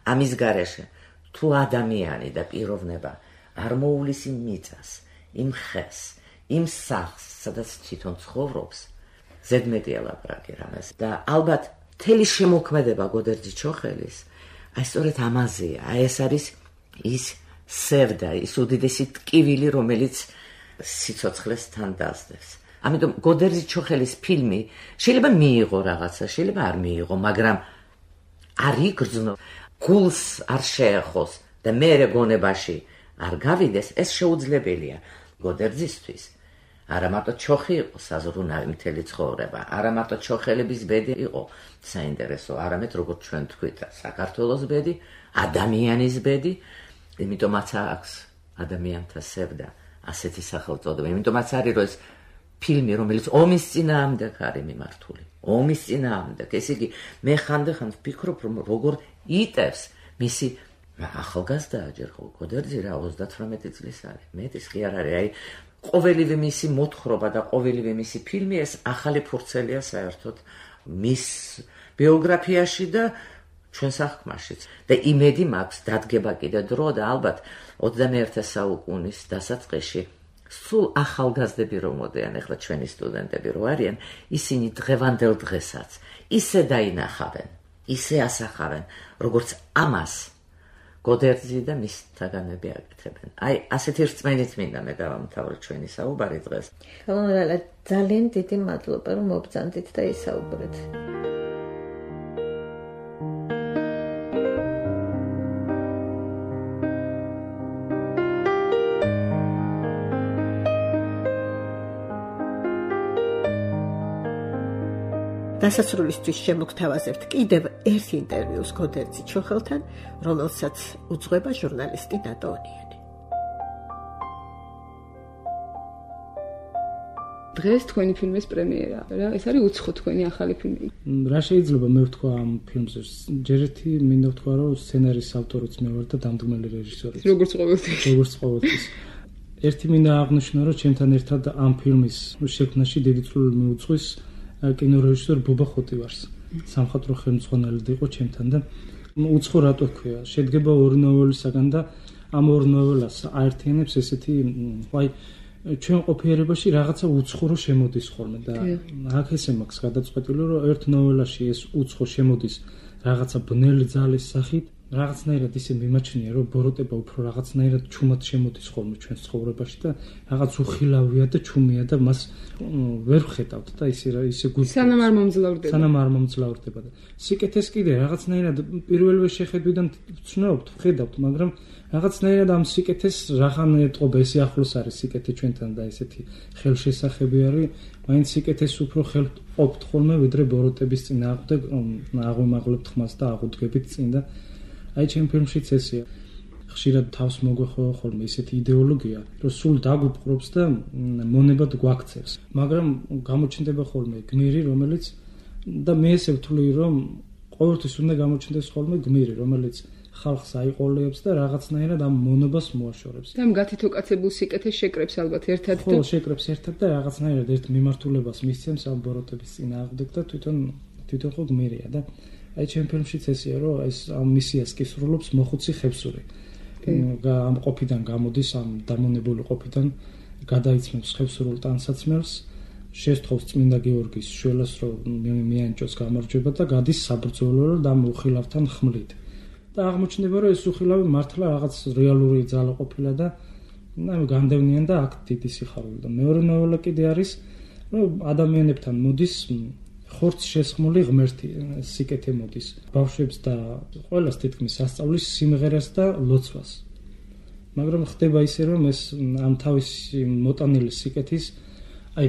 ამის გარეშე თუ ადამიანი და პიროვნება არ მოულის იმ მიწას, იმ ხეს, იმ სახლს, სადაც თვითონ ცხოვრობს, ზედმეტია ლაპარაკი რამეს. და ალბათ მთელი შემოქმედება გოდერძი ჩოხელის, აი სწორედ ამაზეა. აი ეს არის ის სევდა, ის უდიდესი ტკივილი, რომელიც სიცოცხლეს თან დასდევს. ამიტომ გოდერძი ჩოხელის ფილმი შეიძლება მიიღო რაღაცა, შეიძლება არ მიიღო, მაგრამ არ იგრძნო, გულს არ შეეხოს და მერე გონებაში არ გავიდეს, ეს შეუძლებელია გოდერძისთვის. არა მარტო ჩოხი იყო საზრუნავი მთელი ცხოვრება, არა მარტო ჩოხელების ბედი იყო საინტერესო, არამედ როგორც ჩვენ თქვით, საქართველოს ბედი, ადამიანის ბედი. იმიტომაც აქვს ადამიანთა სევდა ასეთი სახელწოდება. იმიტომაც არის რომ ეს ფილმი, რომელიც ომის წინააღმდეგ არის მიმართული. ომის წინააღმდეგ. ესე იგი, მე ხანდახან ვფიქრობ, რომ როგორ იტევს მისი ახალგაზრდა ჯერ გოდერძი რა 38 წლის არის. მეტის კი არ არის. აი ყოველივე მისი მოთხრობა და ყოველივე მისი ფილმი ეს ახალი ფურცელია საერთოდ მის ბიოგრაფიაში და ჩვენ საქმაშიც. და იმედი მაქვს დადგება კიდე დრო და ალბათ 21 საუკუნის დასაწყისში სულ ახალგაზრდები რომ მოდიან, ახლა ჩვენი სტუდენტები რო არიან, ისინი დღევანდელ დღესაც ისე დაინახავენ, ისე ასახავენ, როგორც ამას გოდერძი და მის თაგანები აკეთებენ. აი, ასეთი რწმენით მინდა მე დავამთავრე ჩვენი საუბარი დღეს. ხალხო, ძალიან დიდი მადლობა რომ მობრძანდით და ისაუბრეთ. დასასრულისთვის შემოგთავაზებთ კიდევ ერთ ინტერვიუს გოდერძი ჩოხელთან, რომელსაც უძღვება ჟურნალისტი ნატო ონიანი. დღეს თქვენი ფილმის პრემიერა, რა? ეს არის უცხო თქვენი ახალი ფილმი. რა შეიძლება მე ვთქვა ამ ფილმზე? ჯერ ერთი მინდა ვთქვა, რომ სცენარის ავტორიც მე ვარ და დამდგმელი რეჟისორიც. როგორც ყოველთვის. ერთი მინდა აღნიშნო, რომ ჩემთან ერთად ამ ფილმის შექმნაში დიდი წვლილი მიუძღვის კინორეჟისორ ბუბა ხოტივარს. სამხატვრო ხელმძღვანელი იყო ჩემთან და უცხო რატო ქვია? შედგება ორი ნოველისაგან და ამ ორ ნოველას აერთიანებს ესეთი, აი ჩვენ ყოფიერებაში რაღაცა უცხო შემოდის ხოლმე და აქ ესე მაქვს გადაწყვეტილი, რომ ერთ ნოველაში ეს უცხო შემოდის რაღაცა ბნელი ძალის სახით, რაღაცნაირად ისე მიმაჩნია, რომ ბოროტება უფრო რაღაცნაირად ჩუმად შემოდის ხოლმე ჩვენს ცხოვრებაში და რაღაც უხილავია და ჩუმია და მას ვერ ვხედავთ და ისე გულს სანამ არ მომძლავრდება და სიკეთეს კიდე რაღაცნაირად პირველივე შეხედვიდან ვცნობთ, ვხედავთ, მაგრამ რაღაცნაირად ამ სიკეთეს რახან ეტყობა, ესე ახლოს არის სიკეთე ჩვენთან და ესეთი ხელშესახები არის, მაინც სიკეთეს უფრო ხელთ ყოფთ ხოლმე, ვიდრე ბოროტების წინააღმდეგ აღვიმაღლებთ ხმას და აღუდგებით წინ და აი ჩემ ფილმშიც ესეა. ხშირად თავს მოგვეხოვა ხოლმე ესეთი იდეოლოგია, რომ სულ დაგვიპყრობს და მონებად გვაქცევს. მაგრამ გამოჩნდება ხოლმე გმირი, რომელიც და მე ესე ვთვლი, რომ ყოველთვის უნდა გამოჩნდეს ხოლმე გმირი, რომელიც ხალხს აიყოლებს და რაღაცნაირად ამ მონობას მოაშორებს. და ამ გათითოკაცებულ სიკეთეს შეკრებს ალბათ ერთად და ხო, შეკრებს ერთად და რაღაცნაირად ერთ მიმართულებას მისცემს ამ ბოროტების წინააღმდეგ და თვითონ ხო გმირია და აი ჩემ ფილმშიც ესეა, რომ ეს ამ მისიას კი სრულობს მოხუცი ხევსური. ამ ყოფიდან გამოდის, ამ დამონებული ყოფიდან გადაიცმევს ხევსურულ ტანსაცმელს, შესთხოვს წმინდა გიორგის შველას, რომ მიანჭოს გამარჯვება და გადის საბრძოლო და ამ უხილავთან ხმლით. და აღმოჩნდება, რომ ეს უხილავი მართლა რაღაც რეალური ძალა ყოფილა და განდევნიან და აქ დიდი სიხარული. და მეორე ნოველა კიდე არის, რომ ადამიანებთან მოდის ხორცს შესხმული ღმერთი, სიკეთე მოდის ბავშვებს და ყველას თითქმის ასწავლის სიმღერას და ლოცვას. მაგრამ ხდება ისე, რომ ეს ამ თავისი მოტანილი სიკეთის, აი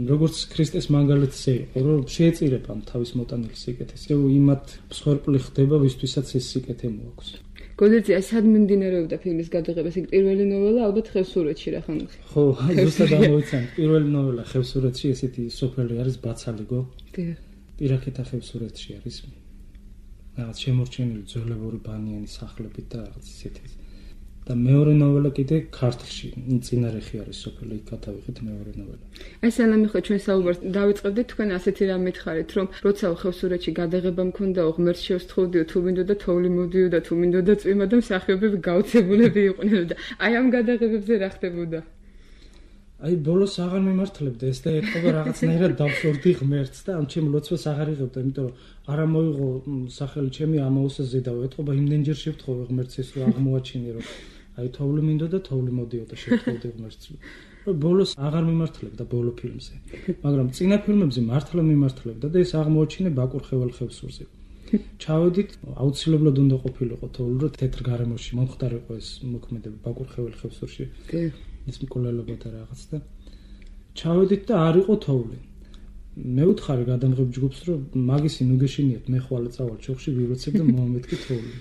როგორც ქრისტეს მაგალითს ეყო, რომ შეეწირება ამ თავის მოტანილი სიკეთის. იმათ მსხვერპლი ხდება, ვისთვისაც ეს სიკეთე მოაქვს. გოდერძი, სად მიმდინარეობდა ფილმის გადაღება? ეს პირველი ნოველა ალბათ ხევსურეთში რა ხან? ხო, ზუსტად ამოვიცანთ. პირველი ნოველა ხევსურეთში, ესეთი სოფელი არის ბაცალიგო. პირაქეთა ხევსურეთში არის. რაღაც შემორჩენილი ძველებური ბანიანი სახლებით და რაღაც ისეთი. და მეორე ნოველა კიდე ქართლში, წინარეხი არის სოფელი, იქ გადავიღეთ მეორე ნოველა. აი სანამ ხო ჩვენ საუბარს დავიწყებდით, თქვენ ასეთი რამ მითხარით, რომ როცა ხევსურეთში გადაღება მქონდა, ღმერთს შევსთხოვდიო, თუ მინდოდა თოვლი მოდიოდა, თუ მინდოდა წვიმა და მსახიობები გაოცებულები იყვნენ და აი ამ გადაღებებზე რა ხდებოდა? აი ბოლოს აღარ მიმართლებდა ეს და ეთქობა რაღაცნაირად დავშორდი ღმერთს და ამ ჩემ ლოცვას აღარ იღებდა, იმიტომ რომ არა მოიღო სახელი ჩემი ამაოსაზე და ეთქობა იმდენჯერ შევთხოვე ღმერთს ეს რომ აღმოაჩინე რომ აი თოვლი მინდოდა, თოვლი მოდიოდა, შევთხოვდი ღმერთს. ბოლოს აღარ მიმართლებდა ბოლო ფილმზე. მაგრამ წინა ფილმებზე მართლა მიმართლებდა და ეს აღმოაჩინე ბაკურ ხევალ ხევსურზე. ჩავედით, აუცილებლად უნდა ყოფილიყო თოვლი, რომ თეთრ გარემოში მომხდარიყო ეს მოქმედება ბაკურ ხევალ ხევსურში. ის მკვლელობა და რაღაც და ჩავედით და არ იყო თოვლი. მე ვთხარი გადამღებ ჯგუფს, რომ მაგისი ნუ გეშინიათ, მე ხვალე წავალ ჩოხში ვიროცებ და მომამეთქი თოვლი.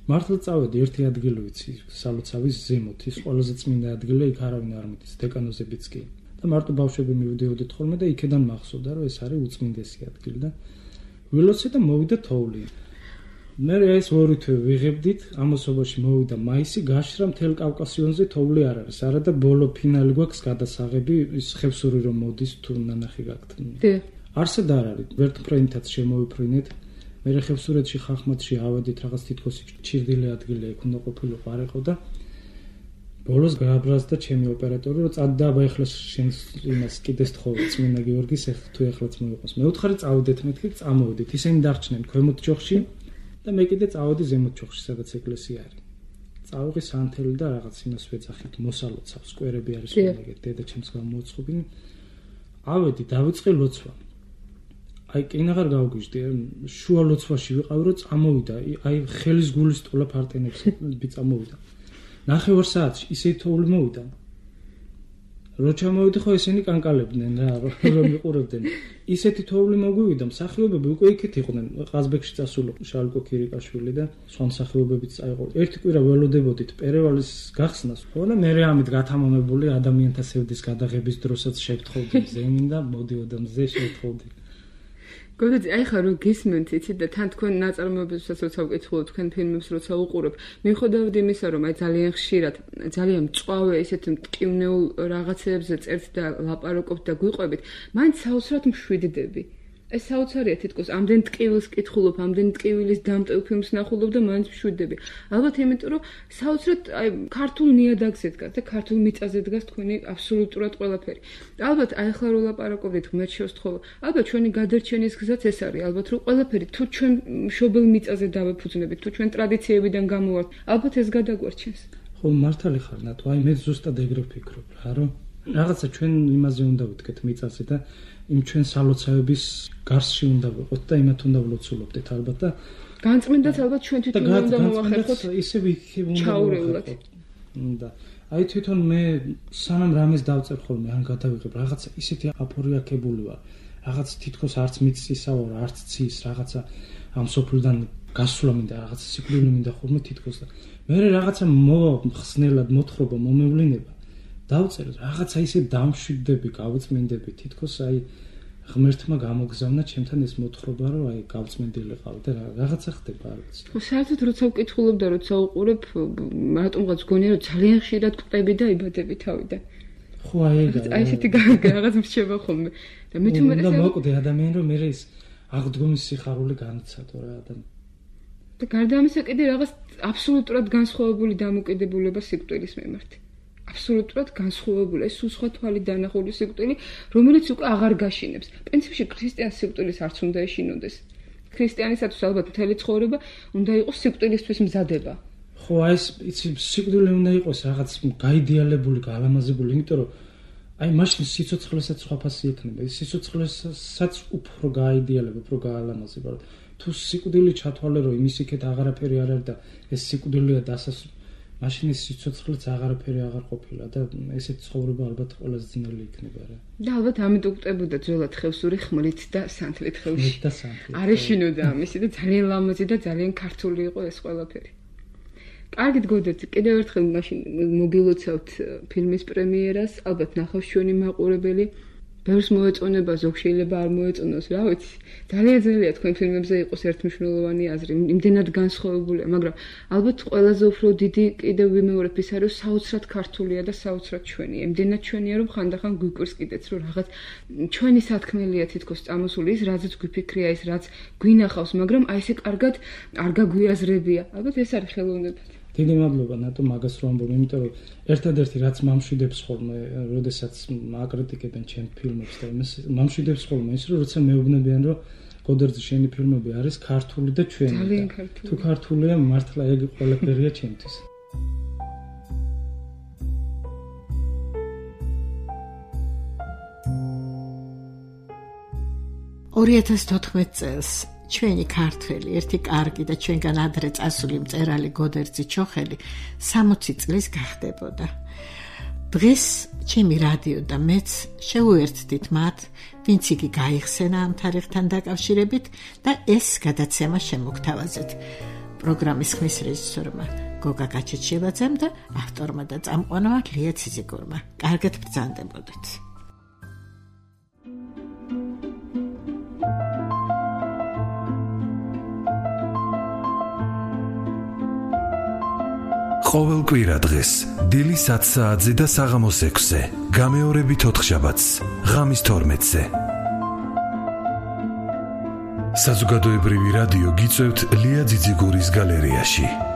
მართლა წავედი ერთი ადგილი ვიცი, სალოცავის ზემოთ, ის ყველაზე წმინდა ადგილია, იქ არავინ არ მიდის, დეკანოზებიც კი. და მარტო ბავშვები მივდიოდით ხოლმე და იქედან მახსოვდა, რომ ეს არის უწმინდესი ადგილი და ვილოცე და მოვიდა თოვლი. მე ეს ორი თვე ვიღებდით, ამასობაში მოვიდა მაისი, გაშრა მთელ კავკასიონზე თოვლი არ არის. არა და ბოლო ფინალი გვაქვს გადასაღები, ის ხევსური რომ მოდის თუ ნანახი გაქვთ. არსად არ არის, ვერტფრენითაც შემოვიფრინეთ. მე ხევსურეთში ხახმათში ავედით რაღაც თითქოს ჩირდილი ადგილი იქ უნდა ყოფილიყო არ იყო და ბოლოს გააბრაზდა ჩემი ოპერატორი რომ წადდა აბა ეხლა შენს იმას კიდეს თხოვე წმინდა გიორგის თუ ეხლაც მოიყოს. მე უთხარი წავედით მეთქი წამოვედით. ისინი დარჩნენ ქვემოთ ჯოხში და მე კიდე წავედი ზემოთ ჯოხში სადაც ეკლესია არის. წავიღე სანთელი და რაღაც იმას ვეძახით მოსალოცავს სკვერები არის ხოლმე დედა ჩემს გამოუცხობინე. ავედი დავიწყე ლოცვა. აი კინაღარ გავგვიჟდი შუა ლოცვაში ვიყავ რომ წამოვიდა აი ხელის გულის ტოლა ფარტენებს წამოვიდა. 9 საათში ისე თოვლი მოვიდა. რო ჩამოვიდი ხო ესენი კანკალებდნენ რა რომ იყურებდნენ. ისეთი თოვლი მოგვივიდა მსახიობები უკვე იქით იყვნენ. ყაზბეგში წასული შალკო ქირიკაშვილი და სხვა მსახიობებიც წაიყო. ერთი კვირა ველოდებოდით პერევალის გახსნას. ხო და მე ამით გათამამებული ადამიანთა სევდის გადაღების დროსაც შევთხოვდი ზემინ და მოდიოდა მზე შევთხოვდი. გოდეც აი ხა რომ გისმენთ იცით და თან თქვენ ნაწარმოებებსაც როცა ვკითხულობ თქვენ ფილმებს როცა უყურებ მიუხედავად იმისა რომ აი ძალიან ხშირად ძალიან მწვავე ესეთ მტკივნეულ რაღაცებზე წერთ და ლაპარაკობთ და გვიყვებით მაინც საოცრად მშვიდდები ეს საოცარია თითქოს ამდენ ტკივილს კითხულობ ამდენ ტკივილის დამტევ ფილმს ნახულობ და მაინც მშვიდდები ალბათ იმიტომ რომ საოცრად აი ქართულ ნიადაგზე დგას და ქართულ მიწაზე დგას თქვენი აბსოლუტურად ყველაფერი ალბათ აი ახლა რო ლაპარაკობთ ღმერთ შევსთხოვა ალბათ ჩვენი გადარჩენის გზაც ეს არის ალბათ რომ ყველაფერი თუ ჩვენ მშობელ მიწაზე დავეფუძნებით თუ ჩვენ ტრადიციებიდან გამოვართ ალბათ ეს გადაგვარჩენს ხო მართალი ხარ ნატო აი მე ზუსტად ეგრე ვფიქრობ რა რომ რაღაცა ჩვენ იმაზე უნდა ვიტკეთ მიწაზე და იმ ჩვენ სალოცავების გარსში უნდა ვიყოთ და იმათ უნდა ვლოცულობდეთ ალბათ და განწმენდაც ალბათ ჩვენ თვითონ უნდა მოვახერხოთ ისე ვიქებ უნდა მოვახერხოთ და აი თვითონ მე სანამ რამეს დავწერ ხოლმე ან გადავიღებ რაღაცა ისეთი აფორიაქებული ვარ რაღაც თითქოს არც მიწისა ვარ არც ცის რაღაცა ამ სოფლიდან გასვლა მინდა რაღაცა სიკვდილი მინდა ხოლმე თითქოს და მე რაღაცა მოვა ხსნელად მოთხრობა მომევლინება დავწერ რაღაცა ისე დამშვიდდები გავწმინდები თითქოს აი ღმერთმა გამოგზავნა ჩემთან ეს მოთხრობა რომ აი გავწმინდილიყავ და რაღაცა ხდება არ ვიცი ხო საერთოდ როცა ვკითხულობ და როცა უყურებ რატომღაც გონია რომ ძალიან ხშირად ყვები და იბადები თავიდან ხო აი ესეთი რაღაც მრჩება ხოლმე და მე თუმცა და მოკვდე ადამიანი რომ მე ის აღდგომის სიხარული განიცადო რა ადამიანი და გარდა ამისა კიდე რაღაც აბსოლუტურად განსხვავებული დამოკიდებულება სიკვდილის მიმართ აბსოლუტურად განსხვავებული ეს სხვა თვალი დანახული სიკვდილი რომელიც უკვე აღარ გაშინებს პრინციპში ქრისტიანს სიკვდილის არც უნდა ეშინოდეს ქრისტიანისათვის ალბათ მთელი ცხოვრება უნდა იყოს სიკვდილისთვის მზადება ხო აი ეს იცი სიკვდილი უნდა იყოს რაღაც გაიდეალებული გალამაზებული იმიტომ რომ აი მაშინ სიცოცხლესაც სხვა ფასი ექნება ის სიცოცხლესაც უფრო გაიდეალებ უფრო გაალამაზება თუ სიკვდილი ჩათვალე რომ იმის იქეთ აღარაფერი არ არის და ეს სიკვდილია დასასრული მაშინ ის სიცოცხლეც აღარაფერი აღარ ყოფილა და ესეთი ცხოვრება ალბათ ყველაზე ძნელი იქნება რა. და ალბათ ამით უკვდებოდა ძველად ხევსური ხმლით და სანთლით ხევში. არ ეშინოდა ამისი და ძალიან ლამაზი და ძალიან ქართული იყო ეს ყველაფერი. კარგით გოდეთ, კიდევ ერთხელ მაშინ მოგილოცავთ ფილმის პრემიერას, ალბათ ნახავს ჩვენი მაყურებელი. ბევრს მოეწონება, ზოგ შეიძლება არ მოეწონოს, რა ვიცი. ძალიან ძნელია თქვენ ფილმებზე იყოს ერთმნიშვნელოვანი აზრი, იმდენად განსხვავებულია, მაგრამ ალბათ ყველაზე უფრო დიდი კიდევ ვიმეორებ ის არის, საოცრად ქართულია და საოცრად ჩვენია. იმდენად ჩვენია, რომ ხანდახან გვიკვირს კიდეც, რომ რაღაც ჩვენი სათქმელია თითქოს წამოსული ის, რაზეც გვიფიქრია, ის რაც გვინახავს, მაგრამ აი ესე კარგად არ გაგვიაზრებია. ალბათ ეს არის ხელოვნებად. დიდი მადლობა ნატო მაგას რომ ამბობ, იმიტომ რომ ერთადერთი რაც მამშვიდებს ხოლმე, როდესაც აკრიტიკებენ ჩემ ფილმებს და იმას მამშვიდებს ხოლმე ის რომ როცა მეუბნებიან რომ გოდერძი შენი ფილმები არის ქართული და ჩვენი. ძალიან ქართული. თუ ქართულია მართლა ეგ ყველაფერია ჩემთვის. 2014 წელს ჩვენი ქართველი ერთი კარგი და ჩვენგან ადრე წასული მწერალი გოდერძი ჩოხელი 60 წლის გახდებოდა. დღეს ჩემი რადიო და მეც შევუერთდით მათ, ვინც იგი გაიხსენა ამ თარიღთან დაკავშირებით და ეს გადაცემა შემოგთავაზეთ. პროგრამის ხმის რეჟისორმა გოგა გაჩეჩილაძემ და ავტორმა და წამყვანმა ლია ციზიკურმა. კარგად ბრძანდებოდეთ. ყოველ კვირა დღეს დილის 10 საათზე და საღამოს 6-ზე, გამეორებით 4 შაბათს, ღამის 12-ზე. საზოგადოებრივი რადიო გიწევთ ლია ძიძიგურის გალერეაში.